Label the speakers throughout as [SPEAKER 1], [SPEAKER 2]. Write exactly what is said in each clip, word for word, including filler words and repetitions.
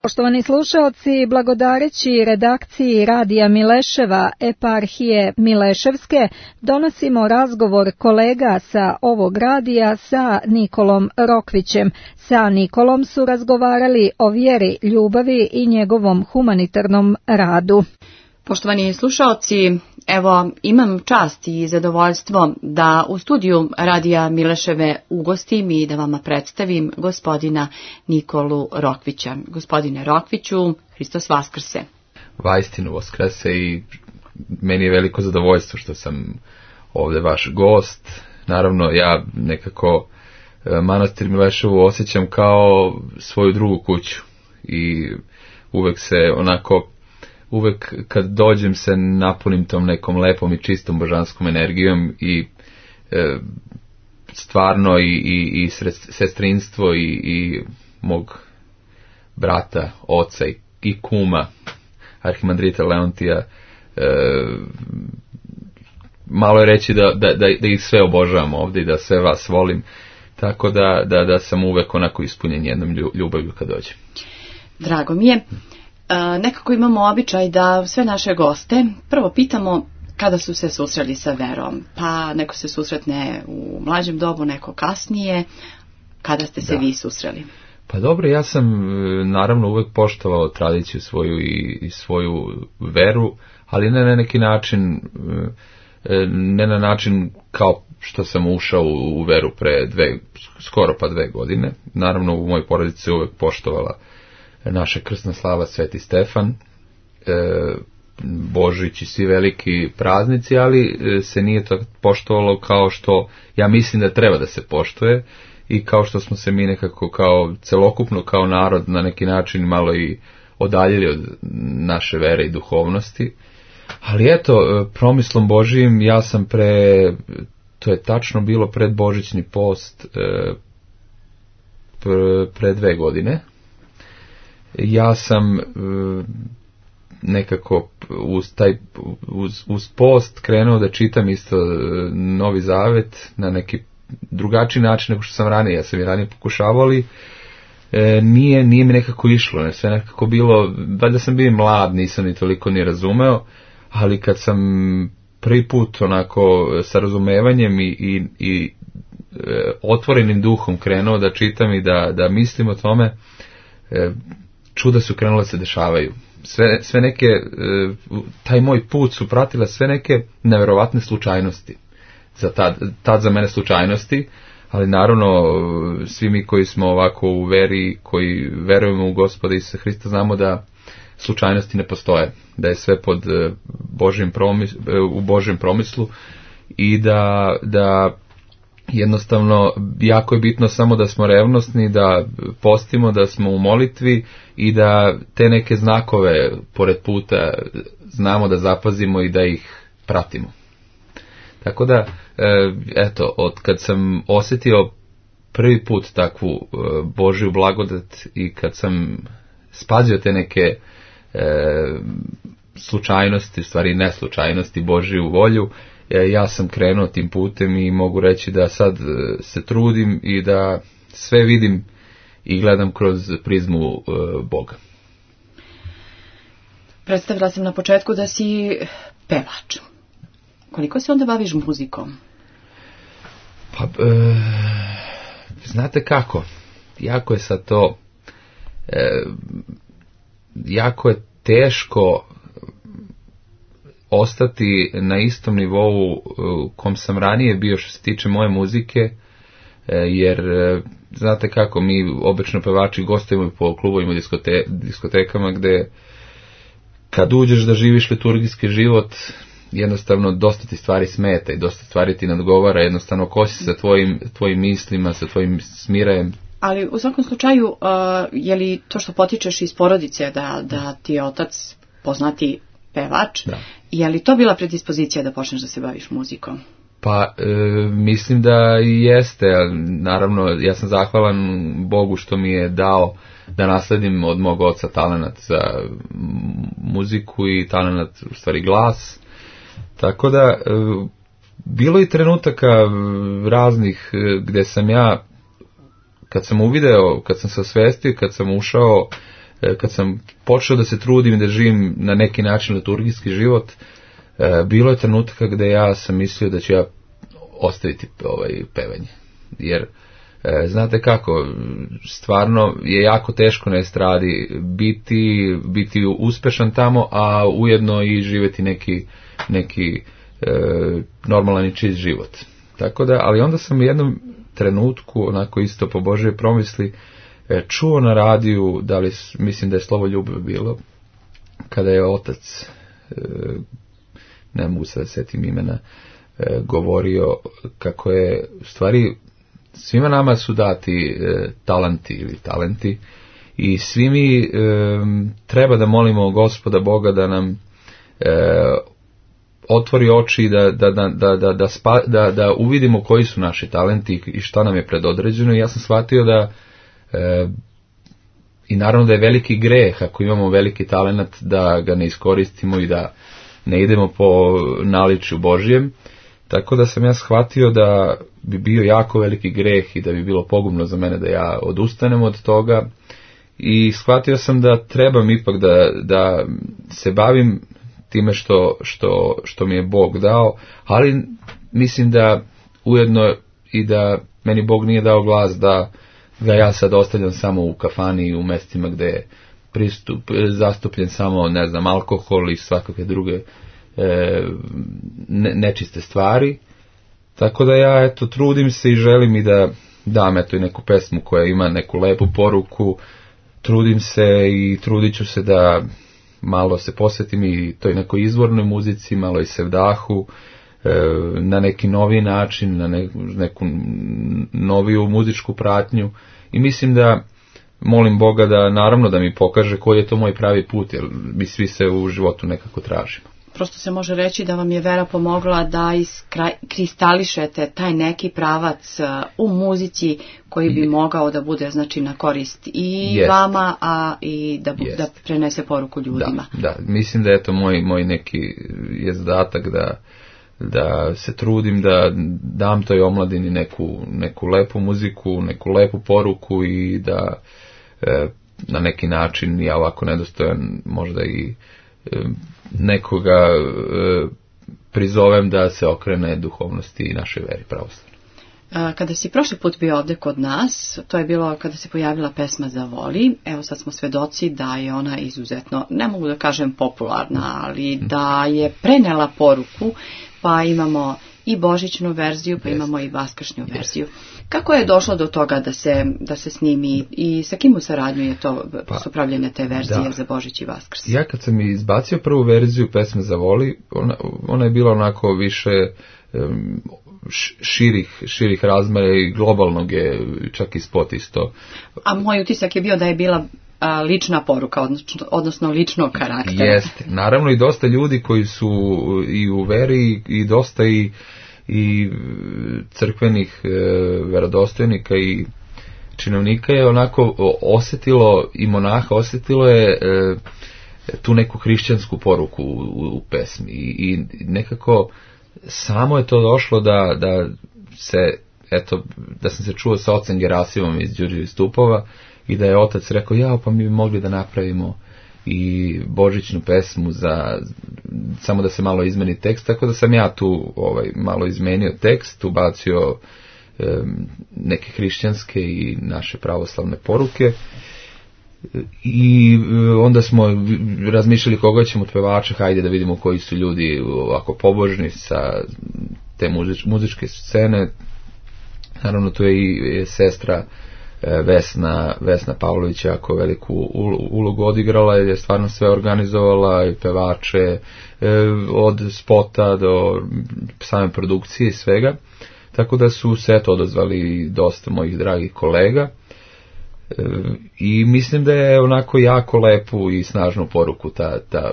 [SPEAKER 1] Poštovani slušaoci, blagodareći redakciji Radija Mileševa eparhije Mileševske, donosimo razgovor kolega sa ovog radija sa Nikolom Rokvićem. Sa Nikolom su razgovarali o vjeri, ljubavi i njegovom humanitarnom radu.
[SPEAKER 2] Poštovani slušaoci, evo imam čast i zadovoljstvo da u studiju Radija Mileševe ugostim i da vama predstavim gospodina Nikolu Rokvića. Gospodine Rokviću, Hristos Vaskrse.
[SPEAKER 3] Vaistinu Vaskrse i meni je veliko zadovoljstvo što sam ovdje vaš gost. Naravno, ja nekako manastir Mileševu osjećam kao svoju drugu kuću i uvek se onako uvek kad dođem se napunim tom nekom lepom i čistom božanskom energijom i e, stvarno i, i, i sestrinstvo i, i mog brata, oca i, i kuma arhimandrita Leontija, e, malo je reći da, da, da, da ih sve obožavam ovdje i da sve vas volim, tako da, da, da sam uvek onako ispunjen jednom ljubavlju kad dođem.
[SPEAKER 2] Drago mi je. Nekako imamo običaj da sve naše goste prvo pitamo kada su se susreli sa verom. Pa neko se susretne u mlađem dobu, neko kasnije. Kada ste se da. vi susreli?
[SPEAKER 3] Pa dobro, ja sam naravno uvek poštovao tradiciju svoju i, i svoju veru, ali ne na neki način, ne na način kao što sam ušao u veru pre dve, skoro pa dve godine. Naravno u mojoj porodici se uvek poštovala naša krsna slava Sveti Stefan, e, Božić i svi veliki praznici, ali se nije to poštovalo kao što ja mislim da treba da se poštuje i kao što smo se mi nekako kao celokupno kao narod na neki način malo i odaljili od naše vere i duhovnosti. Ali eto, promislom Božijim ja sam pre, to je tačno bilo pred Božićni post, e, pre, pre dve godine, ja sam nekako uz, taj, uz, uz post krenuo da čitam isto Novi Zavet na neki drugačiji način nego što sam ranije. Ja sam i ranije pokušavao, ali e, nije, nije mi nekako išlo. Ne, sve nekako bilo, valjda sam bio mlad, nisam ni toliko ni razumeo, ali kad sam prvi put onako sa razumevanjem i, i, i e, otvorenim duhom krenuo da čitam i da, da mislim o tome, e, čuda su krenule se dešavaju. Sve, sve neke, taj moj put su pratile sve neke neverovatne slučajnosti. Za tad, tad za mene slučajnosti, ali naravno svi mi koji smo ovako u veri, koji verujemo u Gospoda Isusa Hrista, znamo da slučajnosti ne postoje, da je sve pod Božjim promis, u Božjem promislu i da, da jednostavno jako je bitno samo da smo revnosni, da postimo, da smo u molitvi i da te neke znakove pored puta znamo da zapazimo i da ih pratimo. Tako da, eto, od kad sam osjetio prvi put takvu Božju blagodat i kad sam spazio te neke e, slučajnosti, u stvari neslučajnosti, Božju volju, ja sam krenuo tim putem i mogu reći da sad se trudim i da sve vidim i gledam kroz prizmu uh, Boga.
[SPEAKER 2] Predstavila sam na početku da si pevač. Koliko se onda baviš muzikom?
[SPEAKER 3] Pa, uh, znate kako, jako je sad to, uh, jako je teško ostati na istom nivou u kom sam ranije bio što se tiče moje muzike, jer znate kako, mi obično pevači gostujemo po klubovima, diskote, diskotekama gde kad uđeš da živiš liturgijski život, jednostavno dosta ti stvari smeta i dosta stvari ti nadgovara, jednostavno kosi sa tvojim, tvojim mislima, sa tvojim smirajem.
[SPEAKER 2] Ali u svakom slučaju, uh, je li to što potičeš iz porodice da, da ti je otac poznati pevač, da. Je li to bila predispozicija da počneš da se baviš muzikom?
[SPEAKER 3] Pa, e, mislim da i jeste. Naravno, ja sam zahvalan Bogu što mi je dao da nasledim od mog oca talenat za muziku i talenat, u stvari, glas. Tako da, e, bilo i trenutaka raznih gde sam ja, kad sam uvideo, kad sam se osvestio, kad sam ušao kad sam počeo da se trudim da živim na neki način liturgijski život, bilo je trenutka gde ja sam mislio da ću ja ostaviti ovaj pevanje. Jer znate kako, stvarno je jako teško na estradi biti, biti uspešan tamo, a ujedno i živjeti neki, neki e, normalan i čist život. Tako da, ali onda sam u jednom trenutku, onako isto po Božje promisli, e, čuo na radiju, da li, mislim da je Slovo ljubav bilo, kada je otac, e, ne mogu sad setim imena, e, govorio kako je, u stvari, svima nama su dati e, talanti ili talenti i svi mi e, treba da molimo Gospoda Boga da nam e, otvori oči da, da, da, da, da, da, spa, da, da uvidimo koji su naši talenti i šta nam je predodređeno. I ja sam shvatio da e, i naravno da je veliki greh ako imamo veliki talent da ga ne iskoristimo i da ne idemo po naličju Božjem. Tako da sam ja shvatio da bi bio jako veliki greh i da bi bilo pogubno za mene da ja odustanem od toga. I shvatio sam da trebam ipak da, da se bavim time što, što, što mi je Bog dao, ali mislim da ujedno i da meni Bog nije dao glas da ga ja sad ostavljam samo u kafani i u mestima gde je pristup, zastupljen samo, ne znam, alkohol i svakakve druge e, ne, nečiste stvari. Tako da ja, eto, trudim se i želim i da dam, eto, i neku pesmu koja ima neku lepu poruku. Trudim se i trudit ću se da malo se posvetim i toj nekoj izvornoj muzici, malo i sevdahu, e, na neki novi način, na ne, neku noviju muzičku pratnju. I mislim da molim Boga da, naravno, da mi pokaže koji je to moj pravi put, jer mi svi se u životu nekako tražimo.
[SPEAKER 2] Prosto se može reći da vam je vera pomogla da iskristališete taj neki pravac u muzici koji bi mogao da bude, znači, na korist i Jest. vama, a i da, da prenese poruku ljudima.
[SPEAKER 3] Da, da. Mislim da je to moj, moj neki je zadatak da, da se trudim da dam toj omladini neku, neku lepu muziku, neku lepu poruku i da e, na neki način ja ovako nedostojan možda i e, nekoga e, prizovem da se okrene duhovnosti i našoj veri pravoslavnoj.
[SPEAKER 2] Kada si prošli put bio ovde kod nas, to je bilo kada se pojavila pesma Zavoli. Evo sad smo svedoci da je ona izuzetno, ne mogu da kažem popularna, ali da je prenela poruku, pa imamo i božićnu verziju, pa yes. imamo i vaskršnju yes. verziju. Kako je došlo do toga da se, da se snimi i sa kim u saradnju je to pa, su pravljene te verzije da. za Božić i Vaskrs?
[SPEAKER 3] Ja kad sam izbacio prvu verziju pesme Zavoli, ona, ona je bila onako više um, širih, širih razmera i globalnog je čak i spot isto.
[SPEAKER 2] A moj utisak je bio da je bila a, lična poruka, odnosno, odnosno ličnog karaktera.
[SPEAKER 3] Jeste, naravno i dosta ljudi koji su i u veri i dosta i i crkvenih e, verodostojnika i činovnika je onako osjetilo, i monaha osjetilo je e, tu neku hrišćansku poruku u, u, u pesmi i, i nekako samo je to došlo da, da se, eto, da sam se čuo sa ocem Gerasimom iz Đurđevih stupova i da je otac rekao, ja, pa mi bi mogli da napravimo i božićnu pesmu za, samo da se malo izmeni tekst, tako da sam ja tu ovaj, malo izmenio tekst, ubacio e, neke hrišćanske i naše pravoslavne poruke i onda smo razmišljali koga ćemo od pevača, hajde da vidimo koji su ljudi ovako pobožni sa te muzič, muzičke scene. Naravno tu je i sestra Vesna, Vesna Pavlović jako veliku ulogu odigrala, je stvarno sve organizovala i pevače od spota do same produkcije i svega, tako da su se to odazvali dosta mojih dragih kolega i mislim da je onako jako lepu i snažnu poruku ta, ta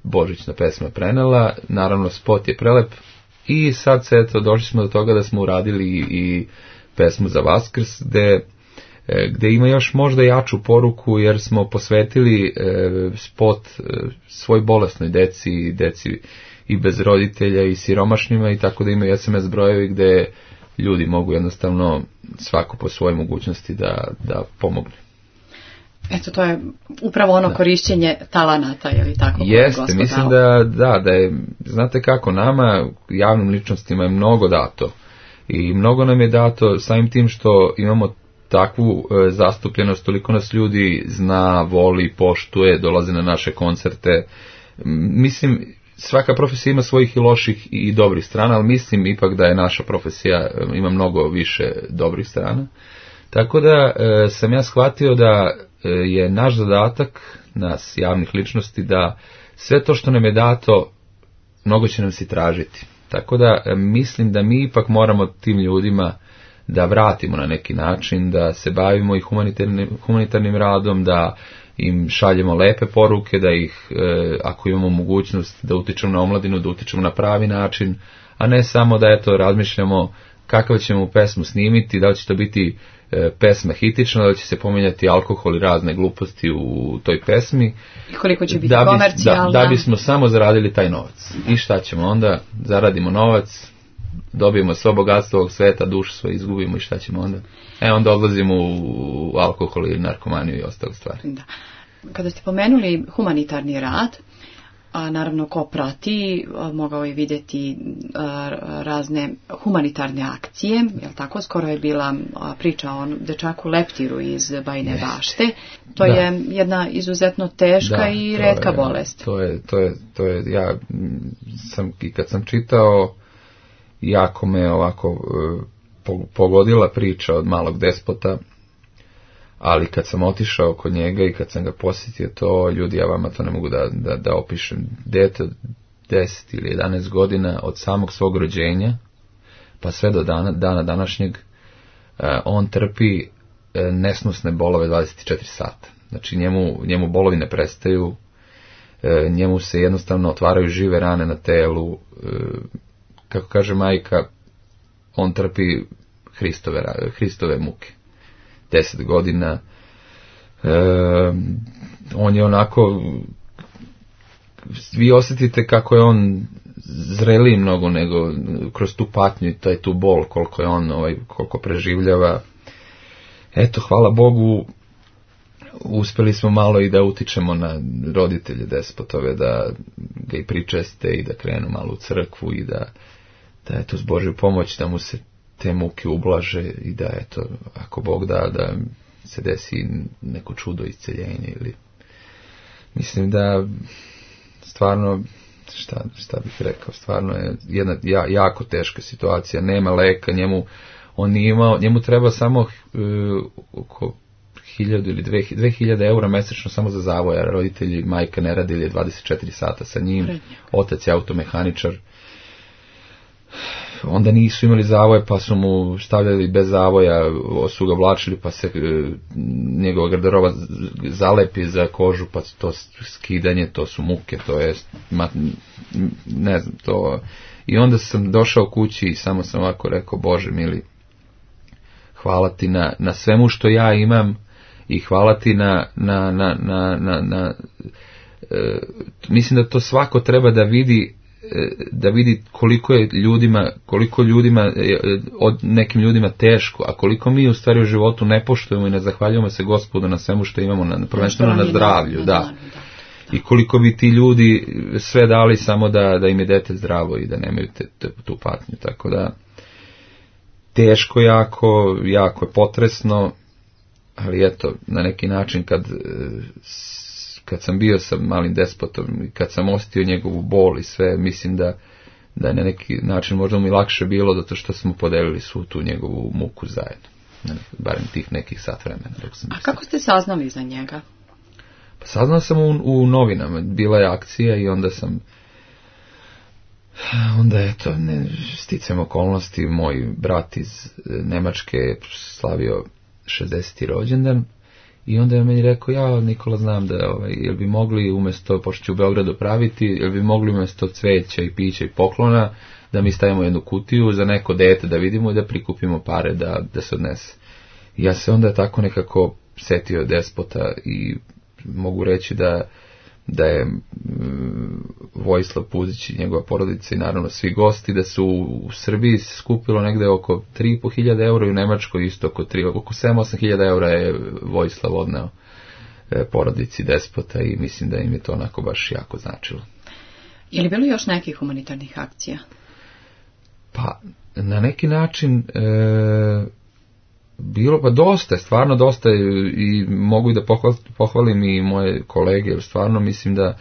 [SPEAKER 3] božićna pesma prenela. Naravno spot je prelep i sad se eto došli smo do toga da smo uradili i pesmu za Vaskrs, gde, gde ima još možda jaču poruku, jer smo posvetili e, spot e, svoj bolesnoj deci, deci i bez roditelja i siromašnjima, i tako da imaju es em es brojevi gde ljudi mogu jednostavno svako po svojoj mogućnosti da, da pomogne.
[SPEAKER 2] Eto, to je upravo ono da. Korišćenje talenata, je li tako?
[SPEAKER 3] Jeste, mislim da, da, da je, znate kako, nama, javnim ličnostima je mnogo dato. I mnogo nam je dato samim tim što imamo takvu e, zastupljenost, toliko nas ljudi zna, voli, poštuje, dolaze na naše koncerte. Mislim, svaka profesija ima svojih i loših i dobrih strana, ali mislim ipak da je naša profesija, ima mnogo više dobrih strana. Tako da e, sam ja shvatio da e, je naš zadatak, nas javnih ličnosti, da sve to što nam je dato, mnogo će nam se tražiti. Tako da e, mislim da mi ipak moramo tim ljudima da vratimo na neki način, da se bavimo i humanitarnim, humanitarnim radom, da im šaljemo lepe poruke, da ih, e, ako imamo mogućnost da utičemo na omladinu, da utičemo na pravi način, a ne samo da eto razmišljamo kakav ćemo pesmu snimiti, da li će to biti e, pesma hitična, da li će se pominjati alkohol i razne gluposti u toj pesmi.
[SPEAKER 2] I koliko će biti
[SPEAKER 3] da bi,
[SPEAKER 2] komercijalna.
[SPEAKER 3] Da, da bismo samo zaradili taj novac. I šta ćemo onda? Zaradimo novac, dobijemo svo bogatstvo ovog sveta, dušu svoje izgubimo i šta ćemo onda? E, onda odlazimo u alkohol i narkomaniju i ostale stvari. Da.
[SPEAKER 2] Kada ste pomenuli humanitarni rad, a naravno ko prati, mogao je vidjeti a, razne humanitarne akcije, jel tako? Skoro je bila a, priča o dečaku leptiru iz Bajine Jeste. Bašte. To da. Je jedna izuzetno teška da, i retka
[SPEAKER 3] je,
[SPEAKER 2] bolest.
[SPEAKER 3] To je, to je, to je, ja sam, i kad sam čitao, jako me ovako pogodila priča od malog despota, ali kad sam otišao kod njega i kad sam ga posjetio, to ljudi, ja vama to ne mogu da, da, da opišem. Dete od deset ili jedanaest godina, od samog svog rođenja pa sve do dana, dana današnjeg, on trpi nesnosne bolove dvadeset četiri sata. Znači njemu, njemu bolovi ne prestaju, njemu se jednostavno otvaraju žive rane na telu, kako kaže majka, on trpi Hristove, Hristove muke. Deset godina. E, on je onako, vi osjetite kako je on zreliji mnogo nego kroz tu patnju i taj tu bol, koliko je on, ovaj, koliko preživljava. Eto, hvala Bogu, uspjeli smo malo i da utičemo na roditelje despotove, da ga i pričeste i da krenu malo u crkvu i da, da eto, s Božju pomoć da mu se te muke ublaže i da eto, ako Bog da, da se desi neko čudo isceljenje ili, mislim da stvarno, šta, šta bih rekao, stvarno je jedna ja, jako teška situacija, nema leka, njemu, on nije imao, njemu treba samo uh, oko hiljadu ili dve, dve hiljade eura mesečno samo za zavoja, roditelji, majka ne radi ili dvadeset četiri sata sa njim, otac je automehaničar, onda nisu imali zavoje pa su mu stavljali bez zavoja, su ga vlačili pa se e, njegova garderoba zalepi za kožu pa to skidanje, to su muke, to je ma, ne znam to. I onda sam došao kući i samo sam ovako rekao, Bože mili, hvala ti na, na svemu što ja imam i hvala ti na, na, na, na, na, na e, mislim da to svako treba da vidi, da vidi koliko je ljudima, koliko ljudima, od nekim ljudima teško, a koliko mi u stvari u životu ne poštujemo i ne zahvaljujemo se Gospodu na svemu što imamo, na, prvenstveno na zdravlju, da. I koliko bi ti ljudi sve dali samo da, da im je dete zdravo i da nemaju te, te, tu patnju, tako da teško jako, jako je potresno, ali eto, na neki način kad kad sam bio sa malim despotom i kad sam osjetio njegovu bol i sve, mislim da, da je na neki način možda mi lakše bilo zato što smo podelili svu tu njegovu muku zajedno. Barem tih nekih sat vremena. Dok sam
[SPEAKER 2] A kako ste saznali za njega?
[SPEAKER 3] Pa saznao sam u, u novinama. Bila je akcija i onda sam onda eto, ne, sticam okolnosti, moj brat iz Nemačke je slavio šezdeseti rođendan. I onda je meni rekao, ja Nikola znam da, ovaj, jel bi mogli umjesto, pošto ću u Beogradu praviti, jel bi mogli umjesto cveća i pića i poklona, da mi stavimo jednu kutiju za neko dete da vidimo i da prikupimo pare da, da se odnese. I ja se onda tako nekako setio despota i mogu reći da, da je um, Vojislav Puzić i njegova porodica i naravno svi gosti, da su u Srbiji skupilo negde oko tri i po hiljade eura i u Nemačkoj isto oko, oko sedam osam hiljada eura je Vojislav odneo porodici despota i mislim da im je to onako baš jako značilo.
[SPEAKER 2] Je li bilo još nekih humanitarnih akcija?
[SPEAKER 3] Pa, na neki način e, bilo pa dosta, stvarno dosta i mogu i da pohvalim i moje kolege, jer stvarno mislim da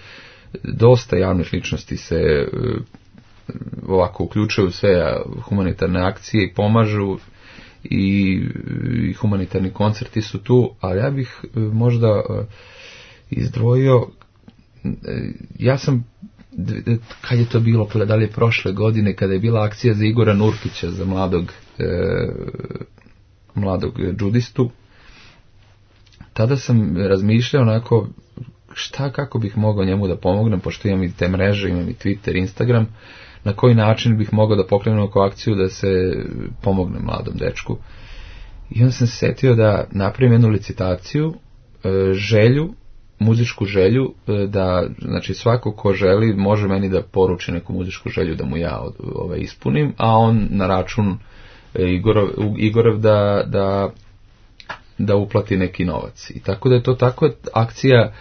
[SPEAKER 3] dosta javnih ličnosti se e, ovako uključuju sve humanitarne akcije i pomažu i, i humanitarni koncerti su tu, ali ja bih e, možda e, izdvojio, e, ja sam kad je to bilo, da li je prošle godine, kada je bila akcija za Igora Nurkića, za mladog e, mladog džudistu, tada sam razmišljao onako šta, kako bih mogao njemu da pomognem, pošto imam i te mreže, imam i Twitter, Instagram, na koji način bih mogao da pokrenem oko akciju da se pomogne mladom dečku. I onda sam se setio da napravim jednu licitaciju, e, želju, muzičku želju, da, znači svako ko želi može meni da poruči neku muzičku želju da mu ja ovaj, ispunim, a on na račun Igorov, Igorov da, da, da uplati neki novac. I tako da je to tako akcija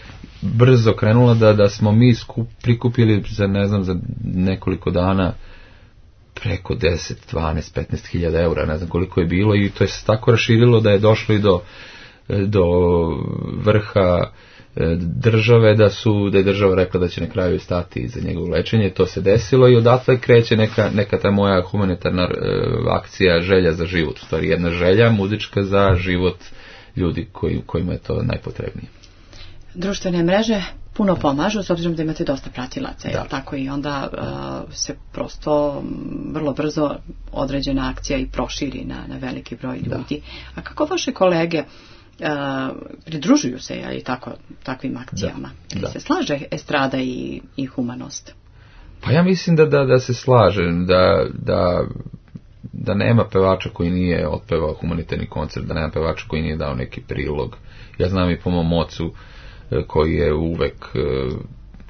[SPEAKER 3] brzo krenula da, da smo mi skup, prikupili za, ne znam, za nekoliko dana preko deset, dvanaest, petnaest hiljada eura, ne znam koliko je bilo, i to je se tako raširilo da je došlo i do, do vrha države, da su da je država rekla da će na kraju stati za njegovo lečenje. To se desilo i odatle kreće neka, neka ta moja humanitarna e, akcija želja za život, u stvari jedna želja muzička za život ljudi koji, kojima je to najpotrebnije.
[SPEAKER 2] Društvene mreže puno pomažu, s obzirom da imate dosta pratilaca,
[SPEAKER 3] da.
[SPEAKER 2] Jel tako, i onda uh, se prosto vrlo brzo određena akcija i proširi na, na veliki broj ljudi. Da. A kako vaše kolege Uh, pridružuju se, ali tako, takvim akcijama? Da, da. Se slaže estrada i, i humanost?
[SPEAKER 3] Pa ja mislim da, da, da se slaže, da, da, da nema pevača koji nije otpevao humanitarni koncert, da nema pevača koji nije dao neki prilog. Ja znam i po mom ocu koji je uvek,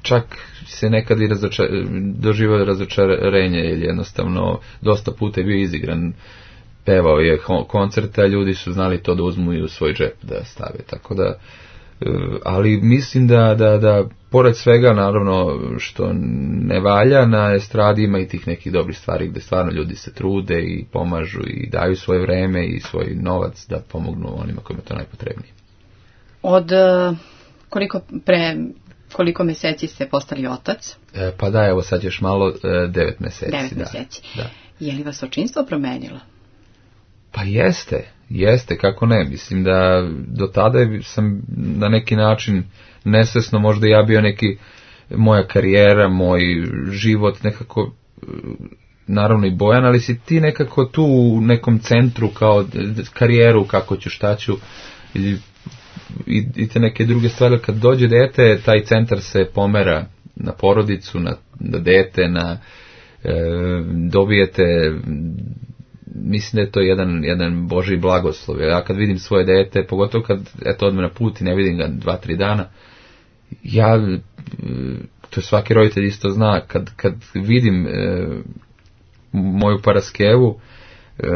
[SPEAKER 3] čak se nekad i razočar, doživao razočarenje, jer jednostavno dosta puta je bio izigran. Pevao je koncerte, a ljudi su znali to da uzmu i u svoj džep da stave, tako da, ali mislim da, da, da pored svega, naravno, što ne valja, na estradi ima i tih nekih dobrih stvari gde stvarno ljudi se trude i pomažu i daju svoje vreme i svoj novac da pomognu onima kojima to najpotrebnije.
[SPEAKER 2] Od koliko pre koliko meseci ste postali otac?
[SPEAKER 3] E, pa da, evo sad još malo, devet meseci.
[SPEAKER 2] Devet
[SPEAKER 3] da,
[SPEAKER 2] meseci.
[SPEAKER 3] Da.
[SPEAKER 2] Je li vas očinstvo promenilo?
[SPEAKER 3] Pa jeste, jeste, kako ne, mislim da do tada sam na neki način nesvesno možda ja bio neki, moja karijera, moj život nekako, naravno i Bojan, ali si ti nekako tu u nekom centru kao karijeru, kako ću, šta ću, i, i, i te neke druge stvari. Kad dođe dete, taj centar se pomera na porodicu, na, na dete, na e, dobijete, mislim da je to jedan, jedan Božji blagoslov. Ja kad vidim svoje dete, pogotovo kad eto odme na put i ne vidim ga dva, tri dana, ja, to svaki roditelj isto zna, kad, kad vidim e, moju Paraskevu, e,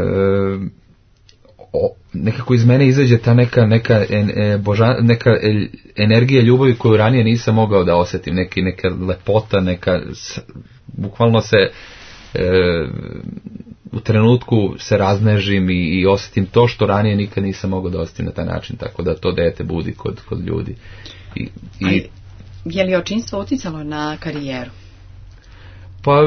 [SPEAKER 3] o, nekako iz mene izađe ta neka, neka, en, e, boža, neka e, energija ljubavi koju ranije nisam mogao da osjetim, neki, neka lepota, neka, s, bukvalno se e, u trenutku se raznežim i, i osjetim to što ranije nikad nisam mogao da osjetim na taj način, tako da to dete budi kod, kod ljudi. I, i,
[SPEAKER 2] je li očinstvo uticalo na karijeru?
[SPEAKER 3] Pa,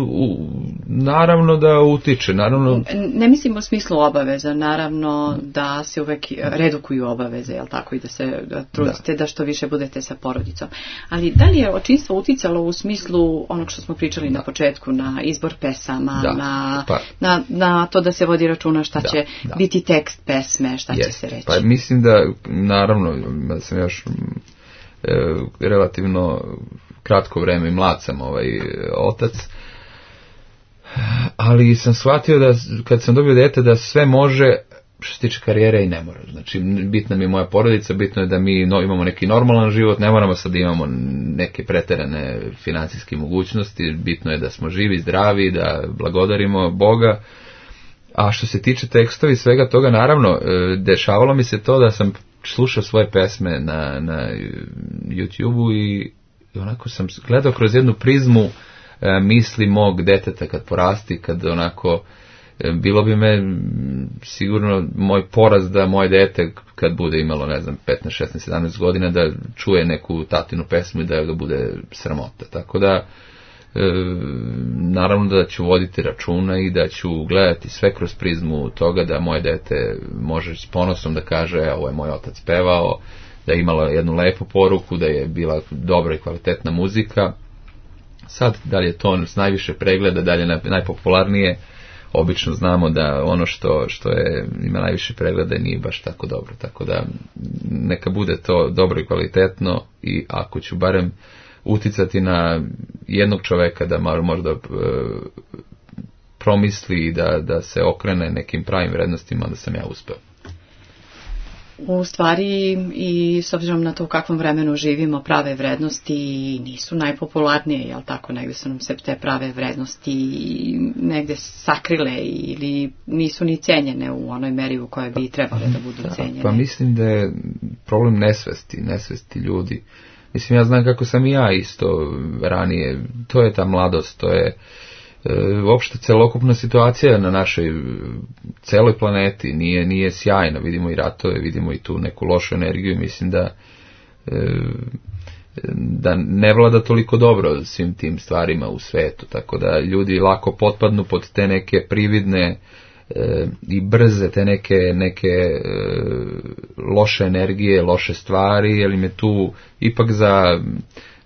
[SPEAKER 3] u, naravno da utiče, naravno...
[SPEAKER 2] Ne mislim u smislu obaveza, naravno da se uvek redukuju obaveze, jel tako, i da se da trudite da. da što više budete sa porodicom. Ali da li je očinstvo uticalo u smislu onog što smo pričali da. na početku, na izbor pesama, da. na, pa. na, na to da se vodi računa šta da. će da. biti tekst pesme, šta yes. će se reći?
[SPEAKER 3] Pa mislim da, naravno, da sam još e, relativno... kratko vreme i mlad sam ovaj otac, ali sam shvatio da kad sam dobio dete da sve može što se tiče karijere i ne mora. Znači bitna mi je moja porodica, bitno je da mi no, imamo neki normalan život, ne moramo sad da imamo neke preterane finansijske mogućnosti, bitno je da smo živi, zdravi, da blagodarimo Boga. A što se tiče tekstova i svega toga, naravno, dešavalo mi se to da sam slušao svoje pesme na, na YouTube-u i, i onako sam gledao kroz jednu prizmu e, misli mog deteta kad porasti, kad onako e, bilo bi me sigurno moj poraz da moje dete kad bude imalo, ne znam, petnaest, šesnaest, sedamnaest godina da čuje neku tatinu pesmu i da ga bude sramota. Tako da E, naravno da ću voditi računa i da ću gledati sve kroz prizmu toga da moje dete može s ponosom da kaže e, ovo je moj otac pevao, da je imala jednu lepu poruku, da je bila dobra i kvalitetna muzika. Sad, da li je to s najviše pregleda, da li je najpopularnije, obično znamo da ono što, što je, ima najviše pregleda nije baš tako dobro, tako da neka bude to dobro i kvalitetno i ako ću barem uticati na jednog čoveka da možda e, promisli da, da se okrene nekim pravim vrednostima, da sam ja uspeo.
[SPEAKER 2] U stvari i s obzirom na to u kakvom vremenu živimo, prave vrednosti nisu najpopularnije, jel tako, negdje su nam se te prave vrednosti negdje sakrile ili nisu ni cenjene u onoj meri u kojoj bi trebale da budu da, cenjene. Pa
[SPEAKER 3] mislim da je problem nesvesti, nesvesti ljudi. Mislim, ja znam kako sam i ja isto ranije, to je ta mladost, to je e, uopšte celokupna situacija na našoj celoj planeti, nije, nije sjajna, vidimo i ratove, vidimo i tu neku lošu energiju, mislim da e, da ne vlada toliko dobro svim tim stvarima u svetu, tako da ljudi lako potpadnu pod te neke prividne e, i brze te neke, neke e, loše energije, loše stvari, jer im je tu ipak za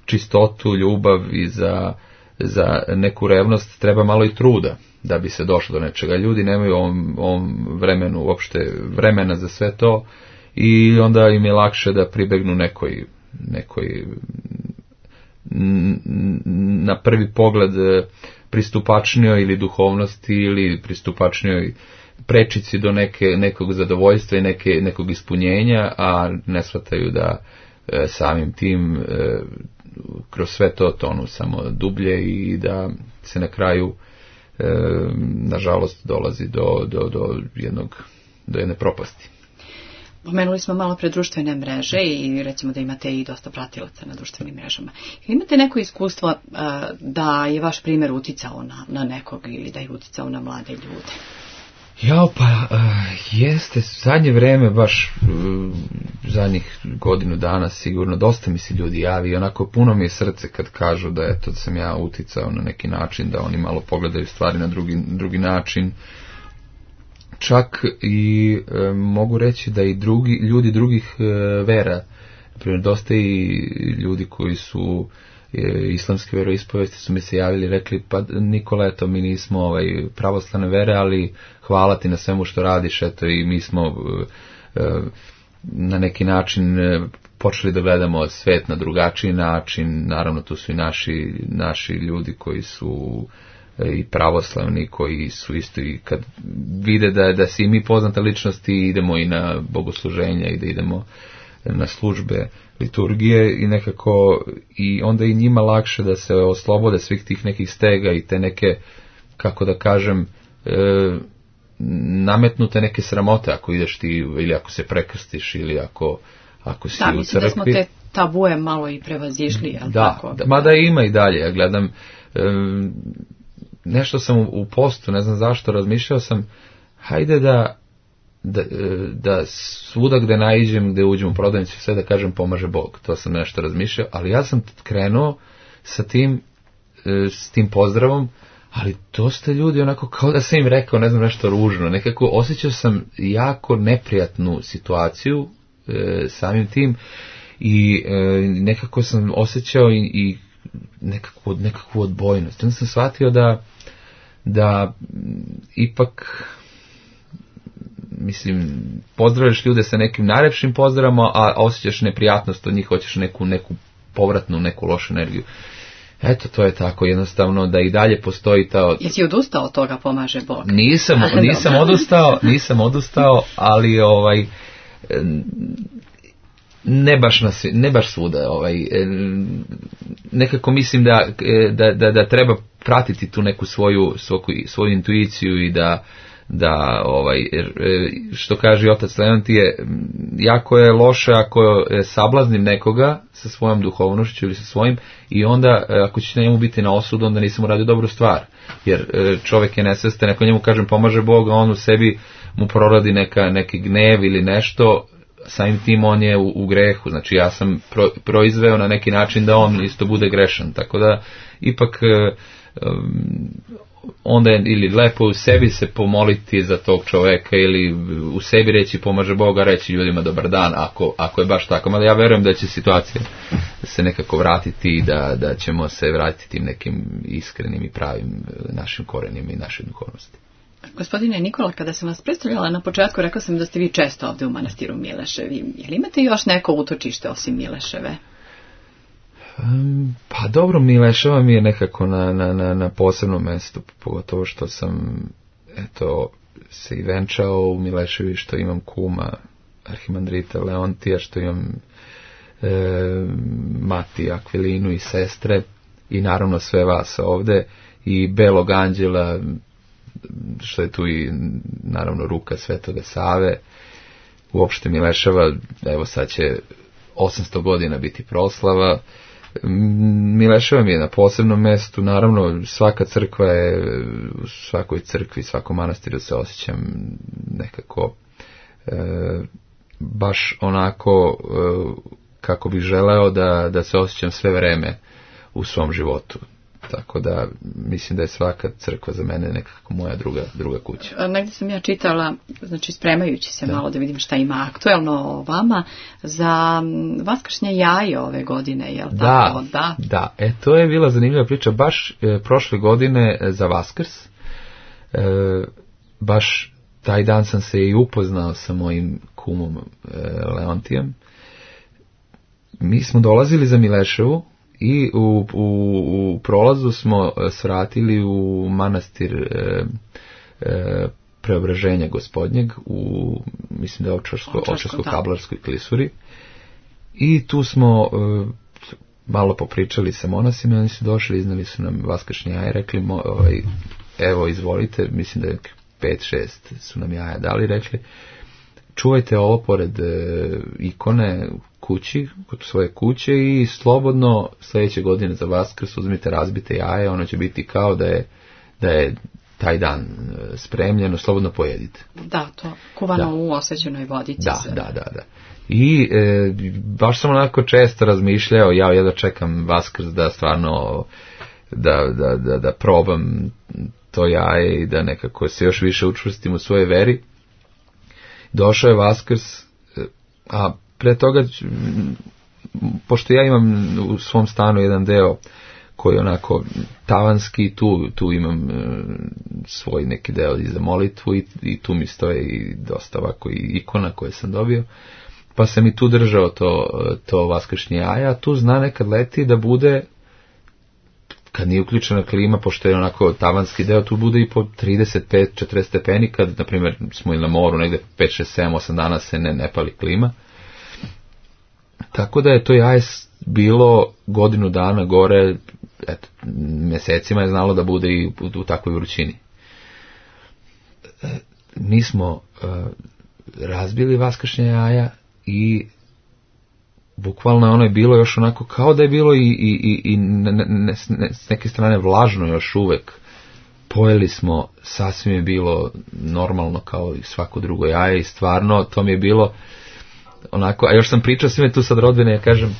[SPEAKER 3] čistotu, ljubav i za, za neku revnost treba malo i truda da bi se došlo do nečega. Ljudi nemaju u ovom, ovom vremenu uopšte vremena za sve to i onda im je lakše da pribegnu nekoj, nekoj na prvi pogled pristupačnijoj ili duhovnosti ili pristupačnijoj prečici do neke, nekog zadovoljstva i neke, nekog ispunjenja, a ne shvataju da e, samim tim e, kroz sve to tonu samo dublje i da se na kraju e, nažalost dolazi do, do, do, jednog, do jedne propasti.
[SPEAKER 2] Pomenuli smo malo pre društvene mreže i recimo da imate i dosta pratilaca na društvenim mrežama. Imate neko iskustvo uh, da je vaš primjer uticao na, na nekog ili da je uticao na mlade ljude?
[SPEAKER 3] Jao, pa uh, jeste, zadnje vreme, baš uh, zadnjih godinu dana sigurno, dosta mi se ljudi javi i onako puno mi je srce kad kažu da eto, da sam ja uticao na neki način, da oni malo pogledaju stvari na drugi, drugi način. Čak i e, mogu reći da i drugi ljudi drugih e, vera, naprimjer dosta i ljudi koji su e, islamske veroispovesti su mi se javili i rekli pa Nikola, eto mi nismo ovaj, pravoslavne vere, ali hvala ti na svemu što radiš, eto i mi smo e, e, na neki način e, počeli da gledamo svet na drugačiji način, naravno tu su i naši, naši ljudi koji su i pravoslavni koji su isto i kad vide da, da si i mi poznata ličnosti idemo i na bogosluženja i da idemo na službe liturgije i nekako i onda i njima lakše da se oslobode svih tih nekih stega i te neke, kako da kažem, e, nametnute neke sramote ako ideš ti ili ako se prekrstiš ili ako, ako si
[SPEAKER 2] da,
[SPEAKER 3] u
[SPEAKER 2] mislim da smo te tabuje malo i prevazišli, jel
[SPEAKER 3] da,
[SPEAKER 2] tako?
[SPEAKER 3] Da, mada ima i dalje, ja gledam e, nešto sam u postu, ne znam zašto, razmišljao sam, hajde da, da, da svuda gde naiđem, gde uđem u prodavnicu, sve da kažem pomaže Bog, to sam nešto razmišljao, ali ja sam krenuo sa tim, s tim pozdravom, ali dosta ljudi onako kao da sam im rekao, ne znam, nešto ružno, nekako osjećao sam jako neprijatnu situaciju e, samim tim i e, nekako sam osjećao i, i nekakvu, nekakvu odbojnost. Onda sam shvatio da da ipak mislim, pozdravljaš ljude sa nekim najlepšim pozdravama, a osjećaš neprijatnost od njih, hoćeš neku, neku povratnu, neku lošu energiju. Eto, to je tako, jednostavno da i dalje postoji ta...
[SPEAKER 2] Jesi odustao od toga pomaže Bog?
[SPEAKER 3] Nisam, nisam odustao, nisam odustao, ali ovaj... Ne baš, na, ne baš svuda, ovaj, nekako mislim da, da, da, da treba pratiti tu neku svoju, svoju, svoju intuiciju i da, da ovaj, što kaže otac Leontije, jako je loše ako sablaznim nekoga sa svojom duhovnošću ili sa svojim i onda ako će njemu biti na osudu, onda nisam uradio dobru stvar, jer čovjek je nesvestan, ako njemu kažem pomaže Bog, a on u sebi mu proradi neka, neki gnev ili nešto, samim tim on je u, u grehu, znači ja sam pro, proizveo na neki način da on isto bude grešan, tako da ipak um, onda je ili lepo u sebi se pomoliti za tog čoveka ili u sebi reći pomaže Boga, reći ljudima dobar dan ako, ako je baš tako, mada ja verujem da će situacija se nekako vratiti i da, da ćemo se vratiti tim nekim iskrenim i pravim našim korenima i našoj duhovnosti.
[SPEAKER 2] Gospodine Nikola, kada sam vas predstavljala na početku, rekao sam da ste vi često ovdje u manastiru Mileševi. Je li imate još neko utočište osim Mileševe?
[SPEAKER 3] Um, pa dobro, Mileševa mi je nekako na, na, na, na posebnom mjestu, pogotovo što sam eto, se i venčao u Mileševi, što imam kuma arhimandrita Leontija, što imam e, mati Akvilinu i sestre i naravno sve vas ovde i Belog anđela, što je tu i naravno ruka Svetoga Save. Uopšte Mileševa, evo sad će osamsto godina biti proslava. Mileševa mi je na posebnom mjestu, naravno svaka crkva je, u svakoj crkvi, svakom manastiru se osjećam nekako e, baš onako e, kako bih želeo da, da se osjećam sve vreme u svom životu. Tako da mislim da je svaka crkva za mene nekako moja druga, druga kuća.
[SPEAKER 2] Negdje sam ja čitala, znači spremajući se da. malo da vidim šta ima aktuelno o vama, za vaskršnje jaje ove godine, je li
[SPEAKER 3] da,
[SPEAKER 2] tako? Da,
[SPEAKER 3] da. E, to je bila zanimljiva priča. Baš e, prošle godine za Vaskrs, e, baš taj dan sam se i upoznao sa mojim kumom e, Leontijem. Mi smo dolazili za Mileševu, i u, u, u prolazu smo svratili u manastir e, e, Preobraženja Gospodnjeg u, mislim da je Ovčarsko-Kablarskoj klisuri i tu smo e, malo popričali sa monasima, oni su došli, iznali su nam vaskršnje jaje, rekli mo, ovaj, evo izvolite, mislim da je pet šest su nam jaja dali, rekli čuvajte ovo pored e, ikone kući, kod svoje kuće i slobodno sljedeće godine za Vaskrs uzmite razbite jaje, ono će biti kao da je, da je taj dan spremljeno, slobodno pojedite.
[SPEAKER 2] Da, to kuvano da. U osvećenoj vodici.
[SPEAKER 3] Da, se. da, da, da. I e, baš sam onako često razmišljao, ja jedva čekam Vaskrs da stvarno da, da, da, da probam to jaje i da nekako se još više učvrstim u svojoj veri. Došao je Vaskrs, a pre toga, pošto ja imam u svom stanu jedan deo koji je onako tavanski, tu, tu imam svoj neki deo i za molitvu i, i tu mi stoje i dosta ovako i ikona koje sam dobio, pa sam i tu držao to, to vaskršnje jaja, tu zna nekad leti da bude, kad nije uključena klima, pošto je onako tavanski deo, tu bude i po trideset pet četrdeset stepeni, kad, na primjer, smo ili na moru, negde pet šest sedam osam dana se ne, ne pali klima. Tako da je to jaje bilo godinu dana gore, eto, mjesecima je znalo da bude i u, u takvoj vrućini. E, mi smo e, razbili vaskršnje jaja i bukvalno ono je bilo još onako kao da je bilo i, i, i, i ne, ne, ne, s neke strane vlažno još uvek. Pojeli smo, sasvim je bilo normalno kao i svako drugo jaje i stvarno to mi je bilo onako, a još sam pričao svime tu sad rodbine, ja kažem,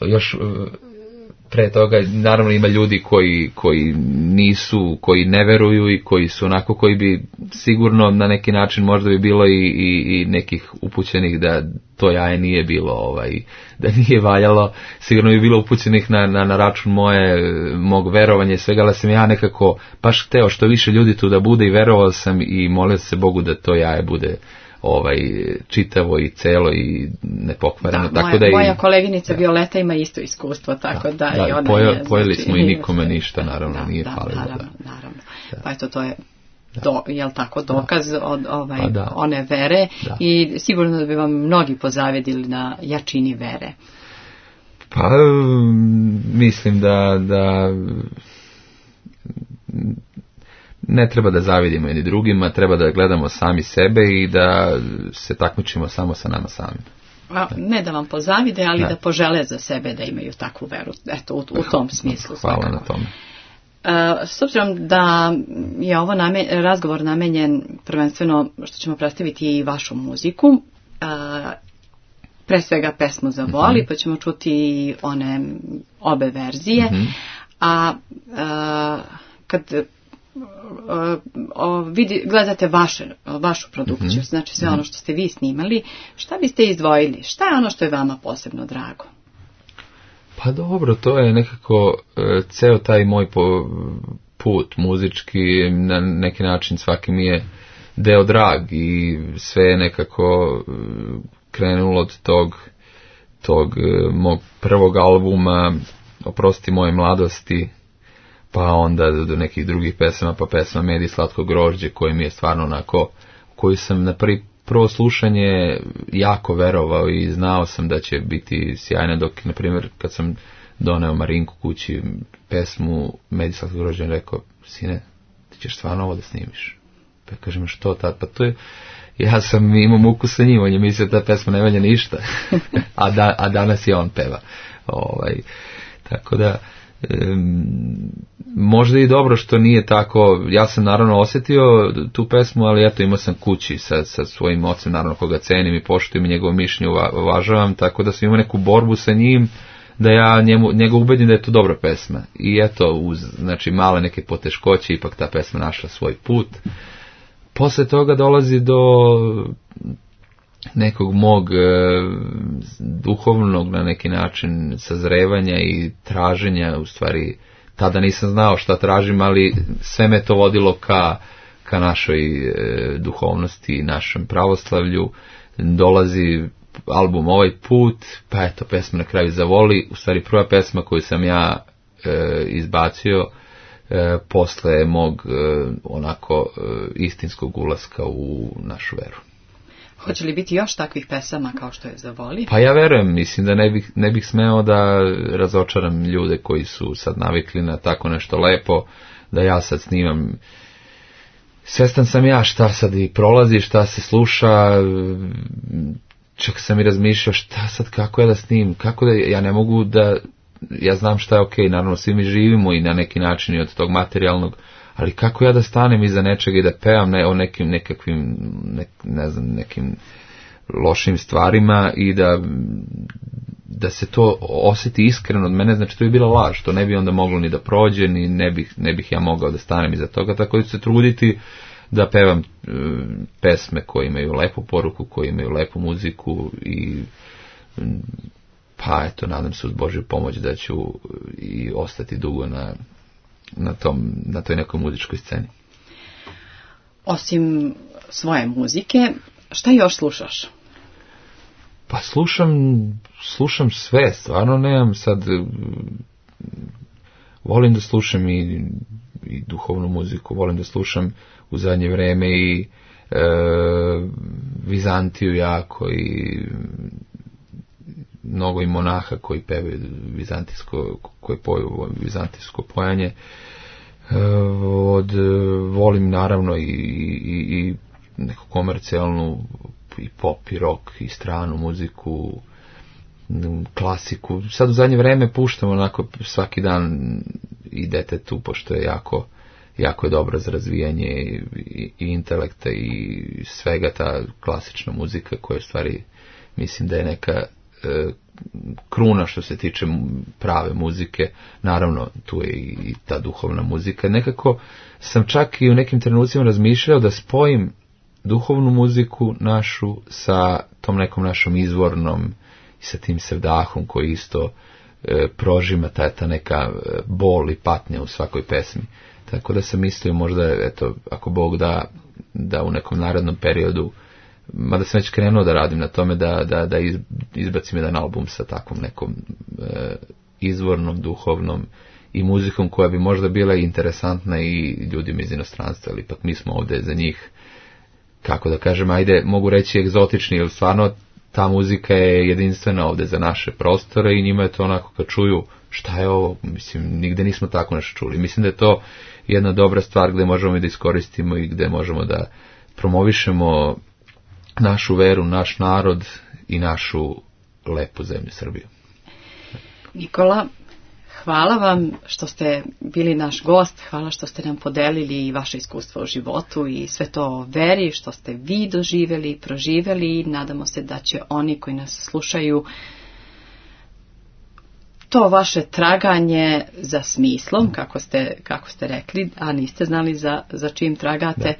[SPEAKER 3] još pre toga, naravno ima ljudi koji, koji nisu, koji ne veruju i koji su onako, koji bi sigurno na neki način možda bi bilo i, i, i nekih upućenih da to jaje nije bilo, ovaj, da nije valjalo, sigurno bi bilo upućenih na, na, na račun moje, mog verovanja i svega, ali sam ja nekako baš hteo što više ljudi tu da bude i verovao sam i molio se Bogu da to jaje bude ovaj čitavo i celo i nepokvareno.
[SPEAKER 2] Da,
[SPEAKER 3] tako
[SPEAKER 2] moja,
[SPEAKER 3] da i,
[SPEAKER 2] moja koleginica da. Violeta ima isto iskustvo, tako da, da, da i ona
[SPEAKER 3] pojo,
[SPEAKER 2] je...
[SPEAKER 3] Pojeli
[SPEAKER 2] znači,
[SPEAKER 3] smo i nikome ništa, naravno,
[SPEAKER 2] da,
[SPEAKER 3] nije
[SPEAKER 2] da,
[SPEAKER 3] falilo.
[SPEAKER 2] Naravno,
[SPEAKER 3] da.
[SPEAKER 2] naravno.
[SPEAKER 3] Da.
[SPEAKER 2] Pa eto, to je do, jel tako, dokaz da. Od ovaj,
[SPEAKER 3] pa da.
[SPEAKER 2] one vere
[SPEAKER 3] da.
[SPEAKER 2] I sigurno da bi vam mnogi pozavedili na jačini vere.
[SPEAKER 3] Pa, mislim da, da ne treba da zavidimo jedni drugima, treba da gledamo sami sebe i da se takmičimo samo sa nama samima.
[SPEAKER 2] A, ne da vam pozavide, ali
[SPEAKER 3] ne.
[SPEAKER 2] da požele za sebe da imaju takvu veru. Eto, u, u tom smislu.
[SPEAKER 3] Hvala
[SPEAKER 2] svakako.
[SPEAKER 3] na tome.
[SPEAKER 2] Uh, s obzirom da je ovo namen, razgovor namenjen prvenstveno što ćemo predstaviti i vašu muziku, uh, pre svega pesmu Za voli, mm-hmm. pa ćemo čuti one obe verzije, mm-hmm. a uh, kad uh, uh, vidi, gledate vaše, vašu produkciju, mm-hmm. znači sve ono što ste vi snimali, šta biste izdvojili? Šta je ono što je vama posebno drago?
[SPEAKER 3] Pa dobro, to je nekako e, ceo taj moj po, put muzički, na neki način svaki mi je deo drag i sve je nekako e, krenulo od tog, tog e, mog prvog albuma Oprosti moje mladosti, pa onda do nekih drugih pesama, pa pesma Med i slatko grožđe, koji mi je stvarno onako, koju sam na prvi prvo slušanje jako verovao i znao sam da će biti sjajna, dok, na primjer, kad sam doneo Marinku kući pesmu Med i slatko grožđe, rekao, sine, ti ćeš stvarno ovo da snimiš. Pa kažem, što tad? Pa to je, ja sam imao muku sa njim, on je mislio da ta pesma ne valja ništa, a, da, a danas je on peva. Ovaj, tako da, Um, možda i dobro što nije tako, ja sam naravno osjetio tu pesmu, ali eto imao sam kući sa, sa svojim ocem, naravno koga cenim i poštujem i njegovo mišljenje uvažavam, tako da sam imao neku borbu sa njim da ja njemu, njega ubedim da je to dobra pesma i eto uz znači male neke poteškoće ipak ta pesma našla svoj put. Posle toga dolazi do nekog mog e, duhovnog na neki način sazrevanja i traženja, u stvari tada nisam znao šta tražim, ali sve me to vodilo ka, ka našoj e, duhovnosti, našem pravoslavlju. Dolazi album Ovaj put, pa eto pesma Na kraju zavoli, u stvari prva pesma koju sam ja e, izbacio e, posle mog e, onako e, istinskog ulaska u našu veru.
[SPEAKER 2] Hoće li biti još takvih pesama kao što je Za voli?
[SPEAKER 3] Pa ja verujem, mislim da ne bih, ne bih smeo da razočaram ljude koji su sad navikli na tako nešto lepo, da ja sad snimam. Svestan sam ja šta sad i prolazi, šta se sluša, čak sam i razmišljao šta sad, kako ja da snimim, kako da, ja ne mogu da, ja znam šta je okej, naravno svi mi živimo i na neki način i od tog materijalnog, ali kako ja da stanem iza nečega i da pevam ne, o nekim nekakvim, ne, ne znam, nekim lošim stvarima i da, da se to osjeti iskreno od mene, znači to bi bila laž, to ne bi onda moglo ni da prođe, ni ne bih, ne bih ja mogao da stanem iza toga, tako da ću se truditi da pevam e, pesme koje imaju lepu poruku, koje imaju lepu muziku i pa eto, nadam se uz Božju pomoć da ću i ostati dugo na na tom, na toj nekoj muzičkoj sceni.
[SPEAKER 2] Osim svoje muzike, šta još slušaš?
[SPEAKER 3] Pa slušam, slušam sve, stvarno nemam sad, volim da slušam i, i duhovnu muziku, volim da slušam u zadnje vreme i e, Vizantiju jako i mnogo i monaha koji pevaju vizantijsko, koji poju vizantijsko pojanje. Od, volim naravno i, i, i neku komercijalnu i pop i rock i stranu muziku, klasiku. Sad u zadnje vreme puštam onako svaki dan i detetu, pošto je jako, jako je dobro za razvijanje i, i, i intelekta i svega, ta klasična muzika koja je stvari, mislim da je neka kruna što se tiče prave muzike. Naravno tu je i ta duhovna muzika. Nekako sam čak i u nekim trenucima razmišljao da spojim duhovnu muziku našu sa tom nekom našom izvornom i sa tim sevdahom koji isto e, prožima ta, ta neka bol i patnja u svakoj pesmi. Tako da sam mislio možda, eto, ako Bog da, da u nekom narednom periodu, mada sam već krenuo da radim na tome da, da, da izbacim jedan album sa takvom nekom e, izvornom, duhovnom i muzikom koja bi možda bila interesantna i ljudima iz inostranstva, ali ipak mi smo ovdje za njih, kako da kažem, ajde, mogu reći egzotični, jer stvarno ta muzika je jedinstvena ovdje za naše prostore i njima je to onako kad čuju šta je ovo, mislim, nigde nismo tako nešto čuli. Mislim da je to jedna dobra stvar gde možemo i da iskoristimo i gde možemo da promovišemo našu veru, naš narod i našu lepu zemlju Srbiju.
[SPEAKER 2] Nikola, hvala vam što ste bili naš gost, hvala što ste nam podelili i vaše iskustvo u životu i sve to o veri, što ste vi doživjeli i proživjeli. Nadamo se da će oni koji nas slušaju to vaše traganje za smislom, kako ste, kako ste rekli, a niste znali za, za čim tragate. Da.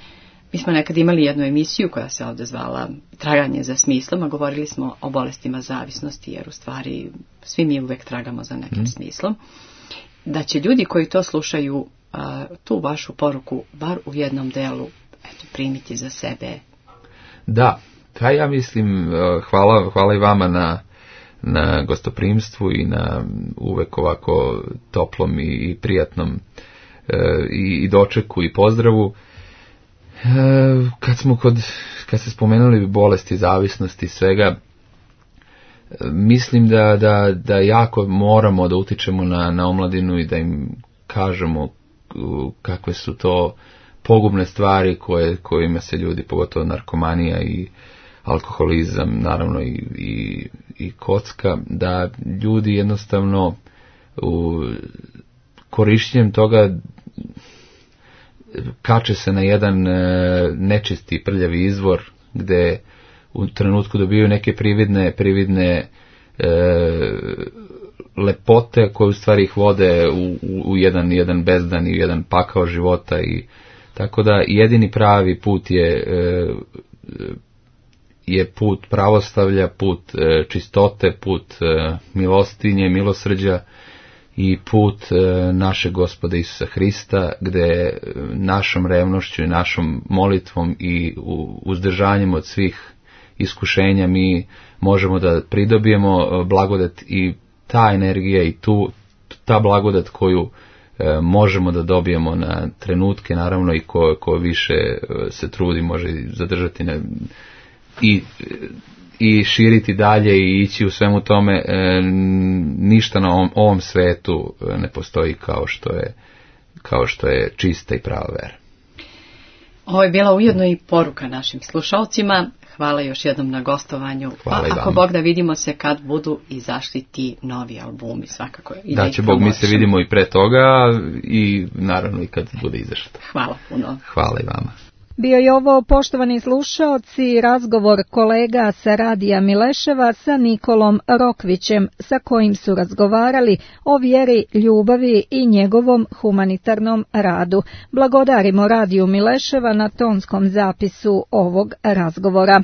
[SPEAKER 2] Mi smo nekad imali jednu emisiju koja se ovdje zvala Traganje za smislom, a govorili smo o bolestima zavisnosti, jer u stvari svi mi uvek tragamo za nekim mm. smislom. Da će ljudi koji to slušaju a, tu vašu poruku, bar u jednom delu, eto, primiti za sebe.
[SPEAKER 3] Da, pa ja mislim, hvala, hvala i vama na, na gostoprimstvu i na uvek ovako toplom i, i prijatnom e, i, i dočeku i pozdravu. Kad smo kod, kad ste spomenuli bolesti, zavisnosti i svega, mislim da, da, da jako moramo da utičemo na, na omladinu i da im kažemo kakve su to pogubne stvari koje, kojima se ljudi, pogotovo narkomanija i alkoholizam, naravno i, i, i kocka, da ljudi jednostavno u korišćenjem toga kače se na jedan e, nečisti prljavi izvor gde u trenutku dobiju neke prividne prividne e, lepote koje u stvari ih vode u, u, u jedan jedan bezdan i u jedan pakao života. I tako da jedini pravi put je e, je put pravoslavlja, put e, čistote, put e, milostinje, milosrđa i put e, našeg Gospoda Isusa Hrista, gde našom revnošću i našom molitvom i u, uzdržanjem od svih iskušenja mi možemo da pridobijemo blagodat, i ta energija i tu ta blagodat koju e, možemo da dobijemo na trenutke, naravno, i ko, ko više se trudi može zadržati na, i i širiti dalje i ići u svemu tome. E, ništa na ovom, ovom svetu ne postoji kao što je kao što je čista i prava vera.
[SPEAKER 2] Ovo je bila ujedno i poruka našim slušalcima. Hvala još jednom na gostovanju.
[SPEAKER 3] Hvala.
[SPEAKER 2] Pa ako Bog da, vidimo se kad budu izašli ti novi albumi, svakako. I
[SPEAKER 3] da,
[SPEAKER 2] da
[SPEAKER 3] će Bog, mi se vidimo i pre toga i naravno i kad bude izašlo.
[SPEAKER 2] Hvala puno.
[SPEAKER 3] Hvala i vama.
[SPEAKER 1] Bio je ovo, poštovani slušaoci, razgovor kolega sa Radija Mileševa sa Nikolom Rokvićem, sa kojim su razgovarali o vjeri, ljubavi i njegovom humanitarnom radu. Blagodarimo Radiju Mileševa na tonskom zapisu ovog razgovora.